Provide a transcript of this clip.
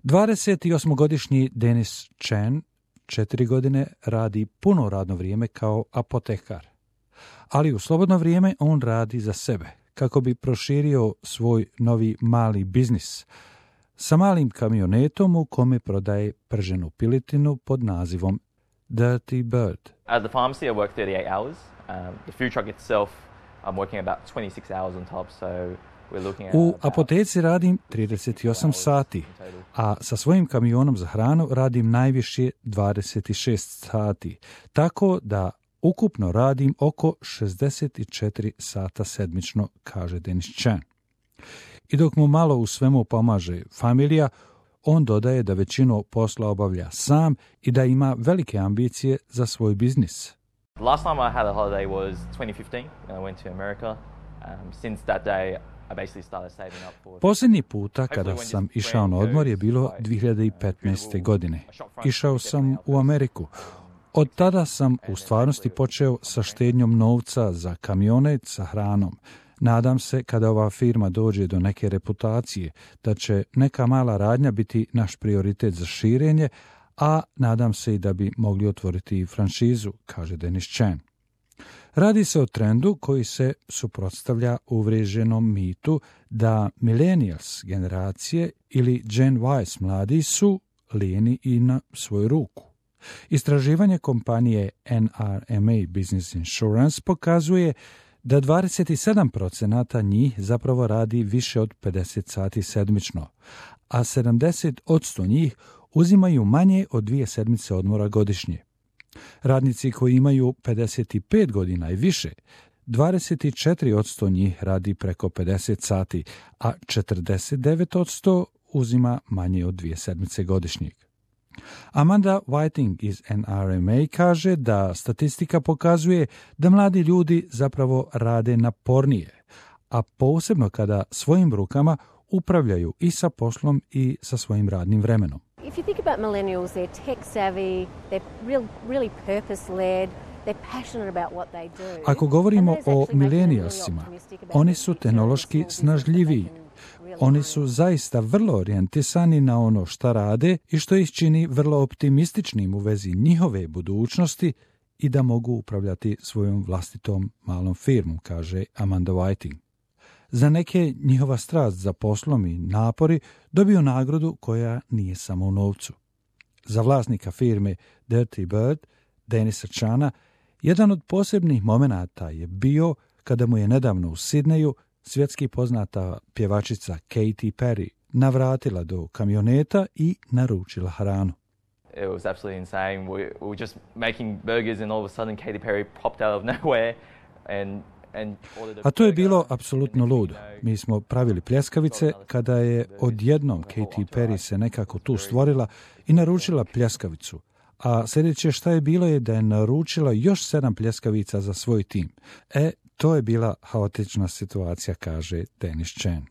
28-godišnji Dennis Chen 4 godine radi puno radno vrijeme kao apotekar, ali u slobodno vrijeme on radi za sebe kako bi proširio svoj novi mali biznis sa malim kamionetom u kome prodaje prženu piletinu pod nazivom Dirty Bird. At the pharmacy I work 38 hours. The food truck itself I'm working about 26 hours on top, so we're looking at U apoteci radim 38 sati, a sa svojim kamionom za hranu radim najviše 26 sati, tako da ukupno radim oko 64 sata sedmično, kaže Dennis Chen. I dok mu malo u svemu pomaže familija, on dodaje da većinu posla obavlja sam i da ima velike ambicije za svoj biznis. The last time I had a holiday was 2015 when I went to America. Since that day I basically started saving up for... Posljednji puta kada sam išao na odmor je bilo 2015. godine. Išao sam u Ameriku. Od tada sam u stvarnosti počeo sa štednjom novca za kamionet sa hranom. Nadam se kada ova firma dođe do neke reputacije da će neka mala radnja biti naš prioritet za širenje, a nadam se i da bi mogli otvoriti franšizu, kaže Dennis Chen. Radi se o trendu koji se suprotstavlja uvriježenom mitu da millennials generacije ili Gen Y mladi su lijeni i na svoju ruku. Istraživanje kompanije NRMA Business Insurance pokazuje da 27% njih zapravo radi više od 50 sati sedmično, a 70% njih uzimaju manje od 2 sedmice odmora godišnje. Radnici koji imaju 55 godina i više, 24% njih radi preko 50 sati, a 49% uzima manje od 2 sedmice godišnjeg. Amanda Whiting iz NRMA kaže da statistika pokazuje da mladi ljudi zapravo rade napornije, a posebno kada svojim rukama upravljaju i sa poslom i sa svojim radnim vremenom. If you think about millennials, they're tech savvy, they're really purpose-led, they're passionate about what they do. Ako govorimo o milenijalsima, oni su tehnološki snažljiviji. Oni su zaista vrlo orijentisani na ono šta rade i što ih čini vrlo optimističnim u vezi njihove budućnosti i da mogu upravljati svojom vlastitom malom firmom, kaže Amanda Whiting. Za neke njihova strast za poslom i napori dobiju nagradu koja nije samo u novcu. Za vlasnika firme Dirty Bird, Dennisa Chena, jedan od posebnih momenata je bio kada mu je nedavno u Sidneju svjetski poznata pjevačica Katy Perry navratila do kamioneta i naručila hranu. It was absolutely insane. We were just making burgers and all of a sudden Katy Perry popped out of nowhere and A to je bilo apsolutno ludo. Mi smo pravili pljeskavice kada je odjednom Katy Perry se nekako tu stvorila i naručila pljeskavicu. A sljedeće šta je bilo je da je naručila još 7 pljeskavica za svoj tim. To je bila haotična situacija, kaže Dennis Chen.